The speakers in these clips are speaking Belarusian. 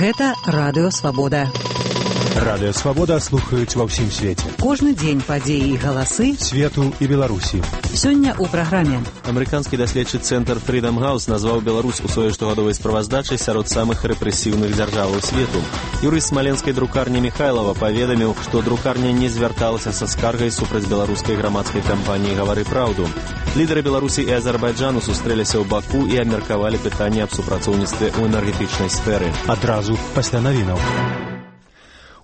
Гэта Радыё Свабода. Радыё Свабода слухаюць ва ўсім свеце. Кожны дзень падзеі і галасы свету і Беларусі. Сёння ў праграме. Амерыканскі даследчы цэнтр Freedom House назваў Беларусь у сваёй штогадовай справаздачы сярод самых рэпрэсіўных дзяржаваў свету. Юрыст смаленскай друкарні Михайлова паведаміў, што друкарня не звярталася са скаргай супраць беларускай грамадскай кампаніі «Гавары праўду». Лідары Беларусі і Азербайджану сустрэліся ў Баку і абмеркавалі пытанне аб супрацоўніцтве ў энергетычнай сферы. Адразу пасля навінаў.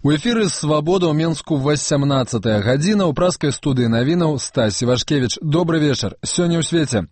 У эфіры «Свабода» ў Менску 18-я гадзіна. У праскай студыі навінаў Стась Івашкевіч. Добры вечар. Сёння ў свеце.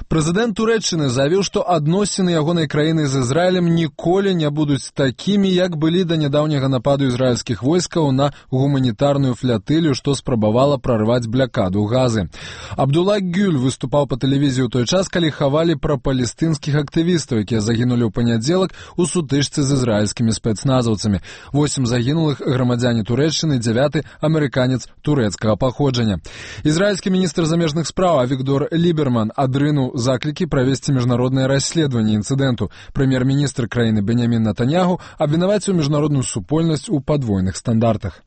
Прэзідэнт Турэччыны заявіў, што адносіны ягонай краіны з Ізраілем ніколі не будуць такімі, як былі да нядаўняга нападу ізраільскіх войскаў на гуманітарную флятылю, што спрабавала прарваць блякаду Газы. Абдулла Гюль выступаў па тэлевізіі ў той час, калі хавалі пра палестынскіх актывістаў, якія загінулі ў панядзелак у сутычцы з ізраільскімі спецназаўцамі. 8 загінулых грамадзяне Турэччыны, 9 амерыканец турэцкага паходжання. Ізраільскі міністр замежных спраў Авігдор Ліберман адрынуў заклікі правесці міжнароднае расследаванне інцыдэнту. Прэм'ер-міністр краіны Бенямін Нетаньяху абвінаваціў міжнародную супольнасць у падвойных стандартах.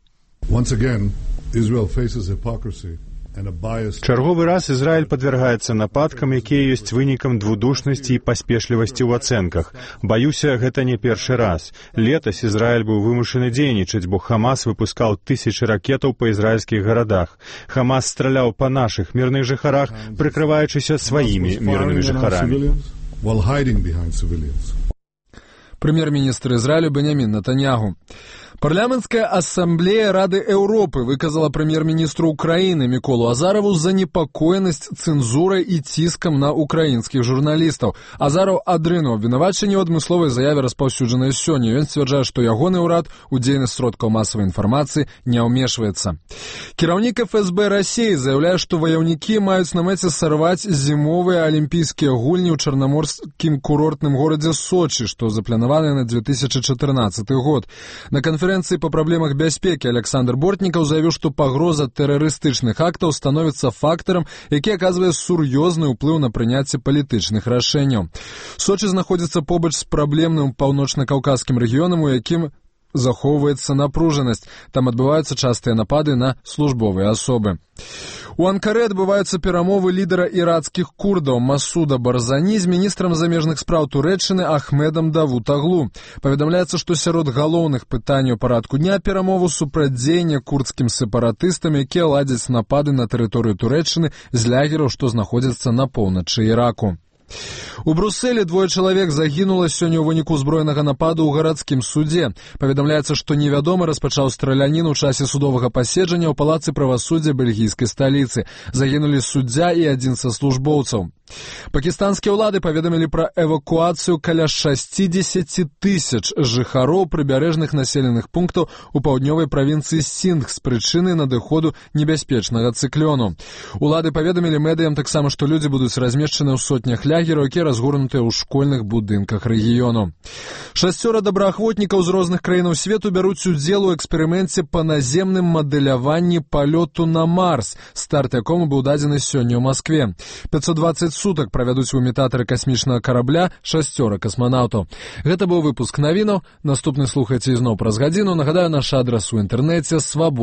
Чарговы раз Ізраіль падвяргаецца нападкам, якія ёсць вынікам двудушнасці і паспешлівасці ў ацэнках. Баюся, гэта не першы раз. Летась Ізраіль быў вымушаны дзейнічаць, бо Хамас выпускаў тысячы ракетаў па ізраільскіх гарадах. Хамас страляў па нашых мірных жыхарах, прыкрываючыся сваімі мірнымі жыхарамі. Прэм'ер-міністр Ізраілю Бенямін Нетаньяху. Парламенцкая ассамблея Рады Еўропы выказала прэм'ер-міністру Украіны Міколу Азарову занепакоенасць цэнзурай і ціскам на украінскіх журналістаў. Азаров адрынуў абвінавачанне ў адмысловай заяве, распаўсюджанай сёння. Ён сцвярджае, што ягоны ўрад у дзейнасць сродкаў масавай інфармацыі не ўмешваецца. Кіраўнік ФСБ Расіі заяўляе, што ваяўнікі маюць на мэце сарваць зімовыя алімпійскія гульні ў чарнаморскім курортным горадзе Сочы, што запланаваны на 2014 год. На канферэнцыі па праблемах бяспекі Александр Бортнікаў заявіў, што пагроза тэрарыстычных актаў становіцца фактарам, які аказвае сур'ёзны ўплыў на прыняцце палітычных рашэнняў. Сочы знаходзіцца побач з праблемным паўночна-каўказскім рэгіёнам, у якім захоўваецца напружанасць. Там адбываюцца частыя напады на службовыя асобы. У Анкары адбываюцца перамовы лідара іракскіх курдаў Масуда Барзані з міністрам замежных спраў Турэччыны Ахмедам Давутаглу. Паведамляецца, што сярод галоўных пытанняў парадку дня перамову супрацьдзеяння курдскім сепаратыстам, якія ладзяць напады на тэрыторыю Турэччыны з лагераў, што знаходзяцца на поўначы Іраку. У Брусэлі 2 чалавек загінула сёння ў выніку ўзброенага нападу ў гарадскім судзе. Паведамляецца, што невядомы распачаў страляніну ў часе судовага паседжання ў палацы правасуддзя бельгійскай сталіцы. Загінулі суддзя і адзін са службоўцаў. Пакістанскія ўлады паведамілі пра эвакуацыю каля 60 тысяч жыхароў прыбярэжных населеных пунктаў у паўднёвай правінцыі Синдх з прычыны надыходу небяспечнага цыклёну. Улады паведамілі медыям таксама, што людзі будуць размешчаны ў сотнях лагераў, якія разгорнутыя ў школьных будынках рэгіёну. 6 добраахвотнікаў з розных краінаў свету бяруць удзел у эксперыменце па наземным мадэляванні палёту на Марс, старт якому быў дадзены сёння ў Маскве. 520 сутак правядуць у імітатары касмічнага карабля 6 касманаўтаў. Гэта быў выпуск навінаў. Наступны слухайце ізноў праз гадзіну. Нагадаю, наш адрас у інтэрнэце свабода.